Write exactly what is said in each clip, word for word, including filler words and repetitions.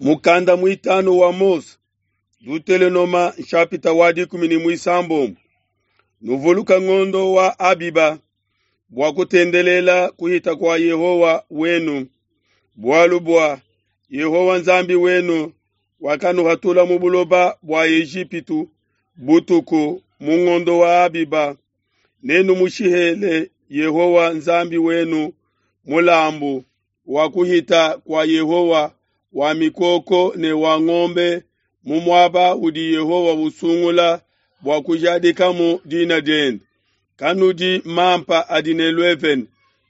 Mukanda mwitanu wa Mose, Dutelenoma nshapita wa dikumi ne mwisambombo. Nuvuluka ngondo wa Abiba bua kutendelela kuhita kua Yehowa wenu, bualu bua Yehowa Nzambi wenu wakanuhatula mu buloba bua Ejipitu butuku mu ngondo wa Abiba. Nenumushihele Yehowa Nzambi wenu mulambu wa kuhita kua Yehowa wa mikoko ne wa ngombe mu muaba udi Yehowa usungula bua kujadikamu dina diende. Kanudi mampa adi ne luevene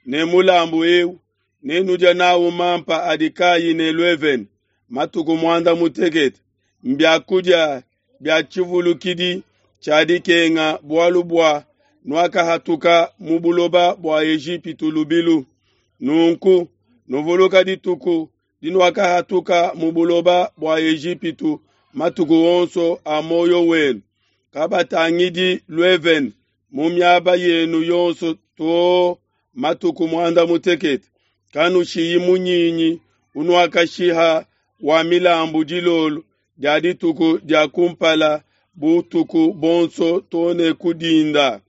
ne mulambu eu nenudia nawu mampa adi kayi ne luevene matuku muanda mutekete. Mbiakudia bia tshivulukidi tshia dikenga bualu bua nuakahatuka mu buloba bua Ejipitu lubilu. Nunku nuvuluka dituku dinuakahatuka mu buloba bua Ejipitu matuku onso a muoyo wenu. Kabatangidi luevene mu miaba yenu yonso too matuku muanda mutekete. Kanushiyi munyinyi unuakashiha wa milambu dilolo dia dituku dia kumpala butuku bonso too ne ku dinda.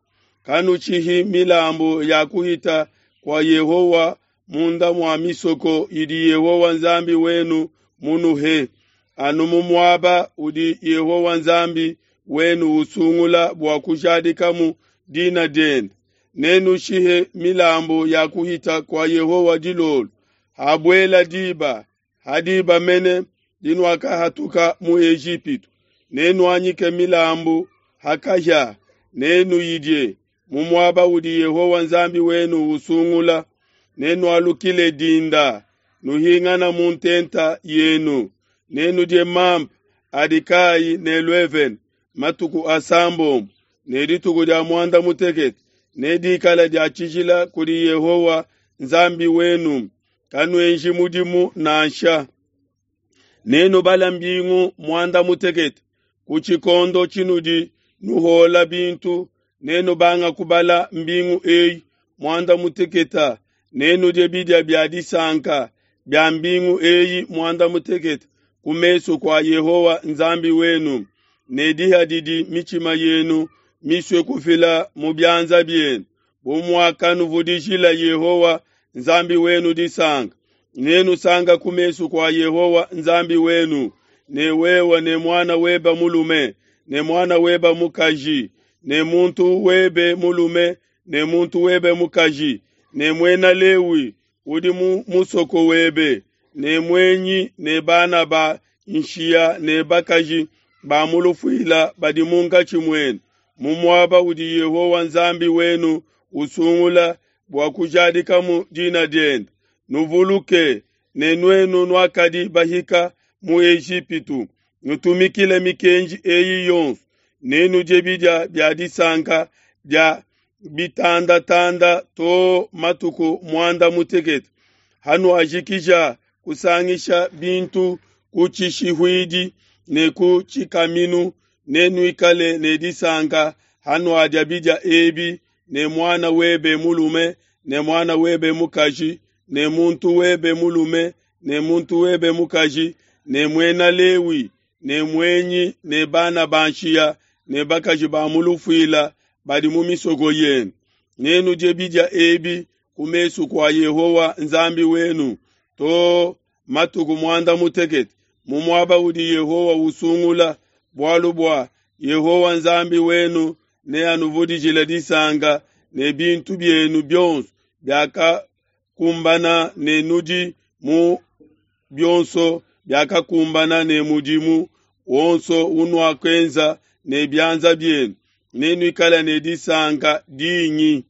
Kanushihi milambu ya kuhita kua Yehowa munda mua misoko idi Yehowa Nzambi wenu munuhe, anu mu muaba udi Yehowa Nzambi wenu usungula bua kujadikamu dina diende. Nenushihe milambu ya kuhita kua Yehowa dilolo, habuela diba, ha diba mene dinuakahatuka mu Ejipitu. Nenuanyike milambu ha kahia, nenuyidie mu muaba udi Yehowa Nzambi wenu usungula. Nenualukile dinda, nuhingana mu ntenta yenu. Nenudie mampa adi kayi ne luevene matuku asambombo, ne dituku dia muanda mutekete nedikale dia tshijila kudi Yehowa Nzambi wenu. Kanuenji mudimu nansha. Nenubale mbingu muanda mutekete ku tshikondo tshinudi nuhuola bintu, nenubanga kubala mbingu eyi muanda mutekete. Nenudie bidia bia disanka bia mbingu eyi muanda mutekete ku mesu kua Yehowa Nzambi wenu, ne diha didi mitshima yenu misue kufila mu bianza bienu, bu muakanuvudijila Yehowa Nzambi wenu disanka. Nenusanka ku mesu kua Yehowa Nzambi wenu, ne wewe ne muana webe mulume ne muana webe mukaji ne muntu webe mulume ne muntu webe mukaji ne muena Lewi udi mu musoko webe ne muenyi ne bana ba nshiya ne bakaji ba mu lufuila badi munkatshi muenu, mu muaba udi Yehowa Nzambi wenu usungula bua kujadikamu dina diende. Nuvuluke ne nuenu nuakadi bahika mu Ejipitu, nutumikile mikenji eyi yonso. Nenudie bidia bia disanka dia bitandatanda too matuku muanda mutekete. Hanuajikija kusangisha bintu ku tshishihuidi ne ku tshikaminu, nenuikale ne disanka hanuadia bidia ebi ne muana webe mulume ne muana webe mukaji ne muntu webe mulume ne muntu webe mukaji ne muena Lewi ne muenyi ne bana ba nshiya ne bakaji ba mu lufuila badi mu misoko yenu. Nenudie bidia ebi ku mesu kua Yehowa Nzambi wenu too matuku muanda mutekete mu muaba udi Yehowa usungula, bualu bua Yehowa Nzambi wenu neanuvudijile disanka ne bintu bienu bionso biakakumbana ne nudi mu bionso biakakumbana ne mudimu wonso unuakuenza ne bianza bienu. Nenuikale ne disanka dingi.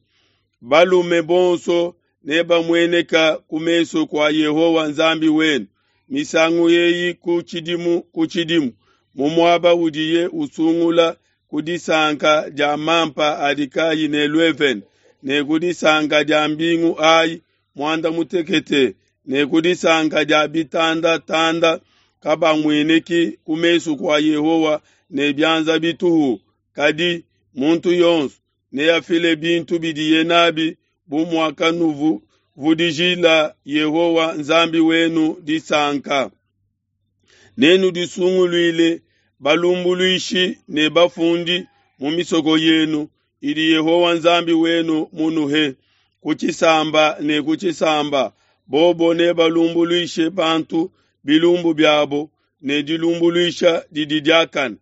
Balume bonso nebamueneka ku mesu kua Yehowa Nzambi wenu misangu eyi ku tshidimu ku tshidimu, mu muaba udiye usungula ku disanka dia mampa adi kayi ne luevene ne ku disanka dia mbingu ayi muanda mutekete ne ku disanka dia bitandatanda. Kabamueneki ku mesu kua Yehowa ne bianza bituhu, kadi muntu yonso neafile bintu bidiye nabi bu muakanuvudijila Yehowa Nzambi wenu disanka. Nenudisunguluile balumbuluishi ne bafundi mu misoko yenu idi Yehowa Nzambi wenu munuhe, ku tshisamba ne ku tshisamba, bobo nebalumbuluishe bantu bilumbu biabo ne dilumbuluisha didi diakane.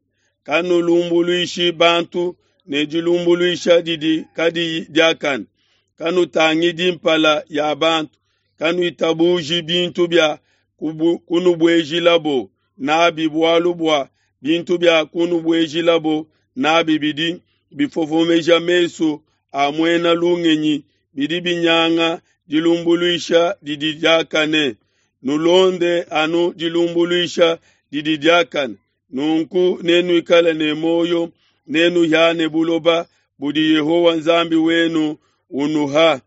Kanulumbuluishi bantu ne dilumbuluisha didi kadiyi diakane. Kanutangidi mpala ya bantu, kanuitabuji bintu bia kunubuejilabo n'abi bualu bua bintu bia kunubuejilabo n'abi bidi bifofomeja mesu a muena lungenyi, bidi binyanga dilumbuluisha didi diakane. Nulonde anu dilumbuluisha didi diakane, nunku nenuikale ne muoyo, nenuhiane buloba budi Yehowa Nzambi wenu unuha.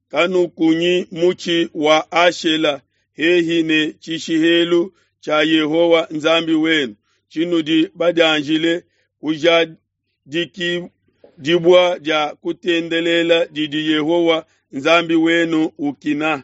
Kanukunyi mutshi wa Ashela hehi ne tshishihelu tshia Yehowa Nzambi wenu, tshinudi badianjile kujadikibua dia kutendelela didi Yehowa Nzambi wenu ukina.